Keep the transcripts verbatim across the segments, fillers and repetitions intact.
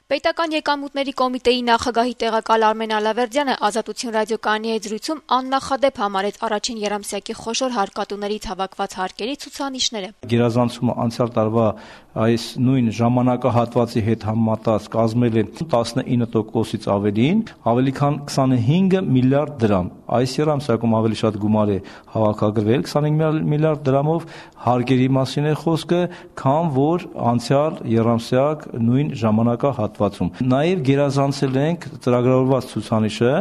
Պետական եկամուտների կոմիտեի նախագահի տեղակալ Արմեն Ալավերդյանը Ազատություն ռադիոկայանի հետ զրույցում աննախադեպ համարեց առաջին երամսյակի խոշոր հարկատուներից հավաքված հարկերի ցուցանիշները։ Գերազանցումը անցյալ տարվա այս նույն ժամանակահատվածի հետ համեմատած կազմել է տասնինը տոկոսից ավելին, ավելի քան քսանհինգ միլիարդ դրամ։ Այս երամսյակում ավելի շատ գումար է հավաքագրվել քսանհինգ միլիարդ դրամով հարկերի մասին է խոսքը, քան որ անցյալ երամսյակ նույն ժամանակահատվածում։ Նաև գերազանցել ենք ծրագրավորված ցուցանիշը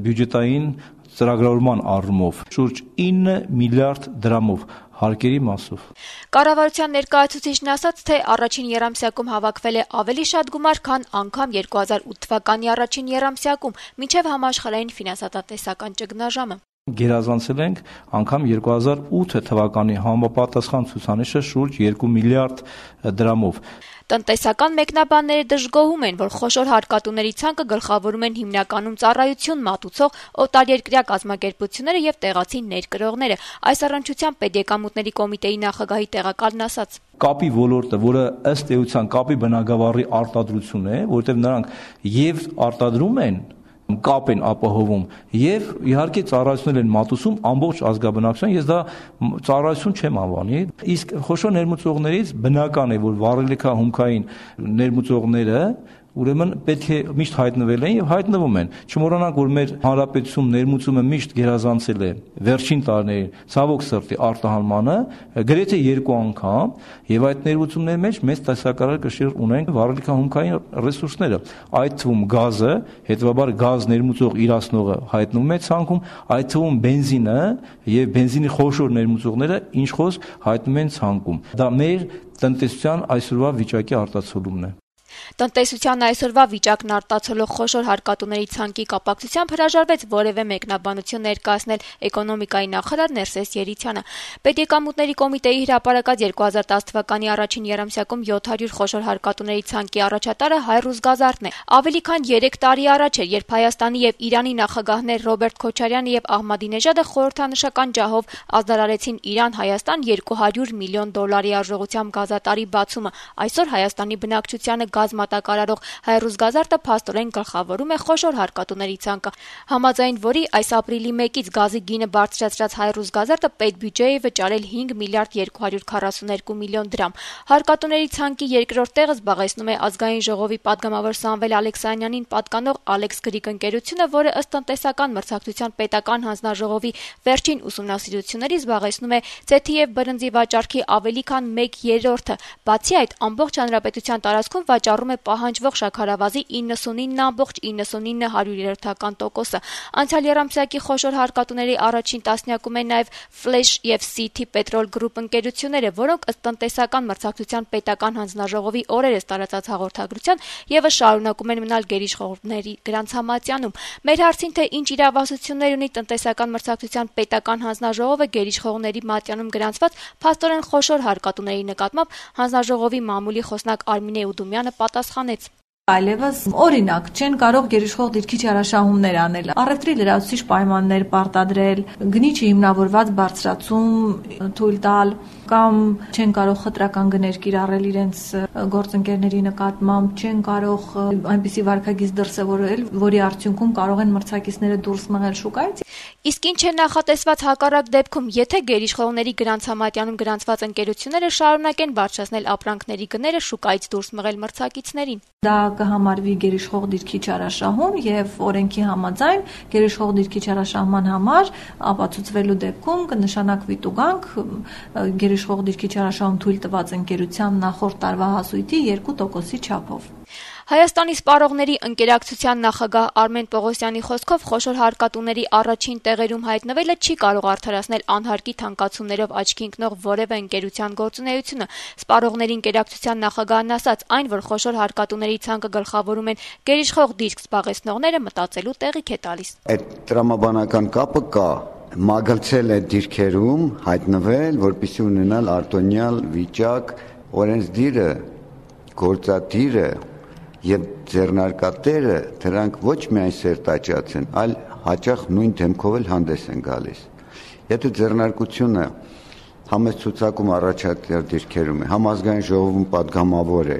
բյուջետային ծրագրավորման առումով շուրջ ինը միլիարդ դրամով հարկերի մասով։ Կառավարության ներկայացուցիչն ասաց, թե առաջին երամսյակում հավաքվել է ավելի շատ գումար, քան անգամ երկու հազար ութ թվականի առաջին երամսյակում, մինչև համաշխարհային ֆինանսատեսական ճգնաժամը։ Գերազանցել ենք անգամ երկու հազար ութ թվականի համապատասխան ցուցանիշը շուրջ երկու միլիարդ դրամով։ Տնտեսական մեկնաբանները դժգոհում են, որ խոշոր հարկատուների ցանկը գլխավորում են հիմնականում ծառայություն մատուցող օտարերկրյա կազմակերպությունները եւ տեղացի ներկրողները։ Այս առնչությամբ Պետեկամուտների կոմիտեի նախագահի տեղակալն ասաց. Կապի ոլորտը, որը ըստ էության կապի բնագավառի արտադրություն է, որտեղ նրանք եւ արտադրում են, կապ են ապահովում եւ իհարկե ծառայություններ են մատուցում ամբողջ ազգաբնակչության, ես դա ծառայություն չեմ անվանի, իսկ խոշոր ներմուծողներից բնական է, որ վառելիքահումքային ներմուծողները ուրեմն պետք է միշտ հայտնվել են եւ հայտնվում են։ Չմոռանանք, որ մեր հանրապետություն ներմուծումը միշտ գերազանցել է վերջին տարիներին ցավոք սրտի արտահանմանը գրեթե երկու անգամ եւ այդ ներմուծումների մեջ մեծ տեսակարար կշիռ ունեն վառելիքահումքային ռեսուրսները, այդ թվում գազը, հետեւաբար գազ ներմուծող իրացնողը հայտնվում է ցանկում, այդ թվում բենզինը եւ բենզինի խոշոր ներմուծողները ինչ խոսք հայտնվում են ցանկում։ Դա մեր տնտեսության այսօրվա վիճակի արտացոլումն է։ Տնտեսության այսօրվա վիճակն արտացոլող խոշոր հարկատուների ցանկի կապակցությամբ հրաժարվեց որևէ մեկնաբանություն ներկայացնել էկոնոմիկայի նախարար Ներսես Երիցյանը։ Պետեկամուտների կոմիտեի հրապարակած երկու հազար տասը թվականի առաջին երամսյակում յոթ հարյուր խոշոր հարկատուների ցանկի առաջատարը Հայրուզգազարտն է։ Ավելի քան երեք տարի առաջ էր, երբ Հայաստանի եւ Իրանի նախագահներ Ռոբերտ Քոչարյանը եւ Ահմադինեժադը խորհրդանշական ջահով ազդարարեցին Իրան-Հայաստան երկու հարյուր միլիոն դոլարի արժողությամբ գազատարի բացումը։ Այսօր Հայաստանի բնակչությանը գազ մատակարարող Հայրուզգազարտը փաստորեն գլխավորում է խոշոր հարկատուների ցանկը, համաձայն որի այս ապրիլի մեկից գազի գինը բարձրացրած Հայրուզգազարտը պետբյուջեի է վճարել հինգ միլիարդ երկու հարյուր քառասուներկու միլիոն դրամ։ Հարկատուների ցանկի երկրորդ տեղը զբաղեցնում է Ազգային ժողովի падգամավոր Սամվել Ալեքսանյանին պատկանող Ալեքս Գրիկ ընկերությունը, որը ըստ տնտեսական մրցակցության պետական հանձնաժողովի վերջին ուսումնասիրությունների զբաղեցնում է ձեթի եւ բրնձի վաճառքի ավելի քան մեկ երրորդը։ Բացի այդ, ամբողջ հանրապետության տարածքում վաճառում է պահանջվող շաքարավազի իննսունինը ամբողջ իննսունինը հարյուրերորդական տոկոսը։ Անցյալ երամսյակի խոշոր հարկատուների առաջին տասնյակում են նաև Flash եւ City Petrol Group ընկերությունները, որոնք ըստ տնտեսական մրցակցության պետական հանձնաժողովի օրերս տարածած հաղորդագրության եւս շարունակում են մնալ գերիշխողների գրանցամատյանում։ Մեր հարցին, թե ինչ իրավասություններ ունի տնտեսական մրցակցության պետական հանձնաժողովը գերիշխողների մատյանում գրանցված փաստորեն խոշոր հարկատուների նկատմամբ հանձնաժողովի մամուլի խոսնակ Արմինե Ուդումյանը պատասխանեց. Այլևս օրինակ չեն կարող գերիշխող դիրքի չարաշահումներ անել, առևտրի լրացուցիչ պայմաններ պարտադրել, գնիչի հիմնավորված բարձրացում թույլ տալ կամ չեն կարող խտրական գներ կիրառել իրենց գործընկերների նկատմամբ, չեն կարող այնպիսի վարքագիծ դրսևորել, որի արդյունքում կարող են մրցակիցները դուրս մղել շուկայից։ Իսկ ինչ է նախատեսված հակառակ դեպքում, եթե գերիշխողների գրանցամատյանում գրանցված ընկերությունները շարունակեն բարձրացնել ապրանքների գները շուկայից դուրս մղել մրցակիցներին։ Դա կհամարվի գերիշխող դիրքի չարաշահում եւ օրենքի համաձայն գերիշխող դիրքի չարաշահման համար ապացուցվելու դեպքում կնշանակվի տուգանք գերիշխող դիրքի չարաշահում թույլ տված ընկերության նախորդ տարվա հասույթի երկու տոկոսի չափով։ Հայաստանի սպառողների ընկերակցության նախագահ Արմեն Պողոսյանի խոսքով խոշոր հարկատուների առաջին տեղերում հայտնվելը չի կարող արդարացնել անհարկի թանկացումներով աչքի ընկնող որևէ ընկերության գործունեությունը։ Սպառողների ընկերակցության նախագահն ասաց, այն, որ խոշոր հարկատուների ցանկը գլխավորում են գերիշխող դիրք զբաղեցնողները, մտածելու տեղիք է տալիս։ Այդ տրամաբանական կապը կա, մագլցել է դիրքերում հայտնվել, որպեսզի ունենալ արտոնյալ վիճակ, օրենսդիրը, գործադիրը եւ ձեռնարկատերը դրանք ոչ միայն սերտաճած են, այլ հաճախ նույն դեմքով էլ հանդես են գալիս։ Եթե ձեռնարկությունը համեսցուցակում առաջատար դիրքերում է, համազգային ժողովում падգամավոր է,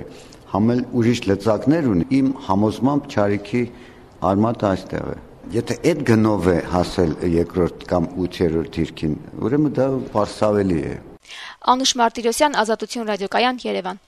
համել ուրիշ լծակներ ունի, իմ համոզմամբ չարիքի արմատը այստեղ է։ Եթե այդ գնով է հասել երկրորդ կամ ութերորդ դիրքին, ուրեմն դա պարսավելի է։ Անուշ Մարտիրոսյան, Ազատություն ռադիոկայան, Երևան։